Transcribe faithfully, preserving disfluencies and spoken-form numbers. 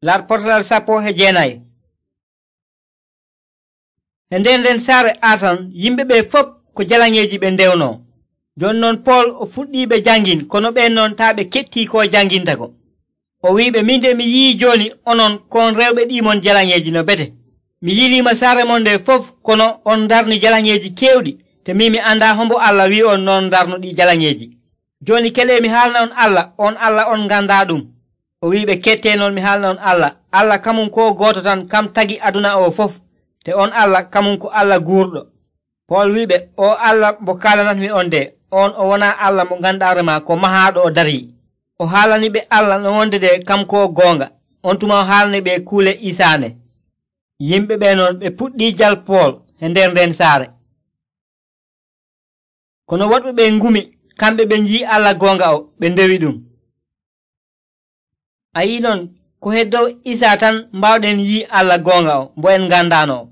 Larportal sappo e jeenayi. E nder nden saare Ason yimɓe ɓe fof ko jalaŋeeji ɓe ndewno. Jon non Pol o fuɗɗii ɓe jangin kono ɓen non taa ɓe kettii ko janginta ko. O wi'iɓe, min de mi yi'i jooni onon kon rewɓe ɗimon jalaŋeeji no bete. Mi yiliima saare mon nde fof kono on darni jalaŋeeji keewɗi, te min mi anndaa hombo Allah wi'i on non darnuɗi jalaŋeeji. Jooni kelee mi haalna on Allah, on Allah on ngandaa ɗum. O wi'iɓe, kettee non mi haalna on Allah. Allah kamum ko gooto tan kam tagi aduna o fof, te on Allah kamum ko Allah guurɗo. Pol wi'iɓe, o Allah mo kaalanatmi on de, on o wonaa Allah mo ganduɗaa remaa ko mahaaɗo o darii. O haalani ɓe Allah no wonde de kam ko goonga. On tuma o haalani ɓe kuule isaane. Yimɓe ɓe noon ɓe puɗɗii jal Pol e nder nden saare. Kono woɗɓe ɓe ngumi, kamɓe ɓe njii Allah goonga o, ɓe ndewi ɗum. A yii noon ko heddow Isaa tan mbawɗen yii Allah goonga o, mbo en ngandaano.